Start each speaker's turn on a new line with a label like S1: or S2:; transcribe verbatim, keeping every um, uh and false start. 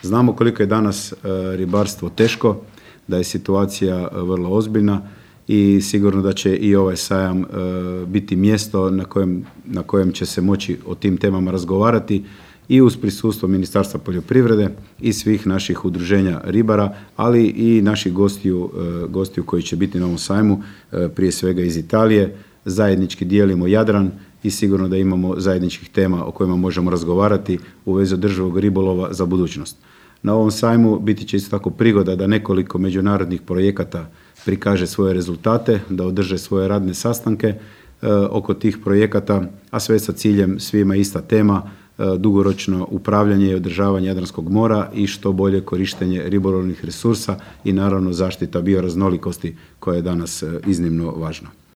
S1: Znamo koliko je danas ribarstvo teško, da je situacija vrlo ozbiljna i sigurno da će i ovaj sajam biti mjesto na kojem, na kojem će se moći o tim temama razgovarati i uz prisustvo Ministarstva poljoprivrede i svih naših udruženja ribara, ali i naših gostiju, gostiju koji će biti na ovom sajmu, prije svega iz Italije. Zajednički dijelimo Jadran i sigurno da imamo zajedničkih tema o kojima možemo razgovarati u vezi održivog ribolova za budućnost. Na ovom sajmu biti će isto tako prigoda da nekoliko međunarodnih projekata prikaže svoje rezultate, da održe svoje radne sastanke e, oko tih projekata, a sve sa ciljem svima ista tema, e, dugoročno upravljanje i održavanje Jadranskog mora i što bolje korištenje ribolovnih resursa i naravno zaštita bioraznolikosti koja je danas e, iznimno važna.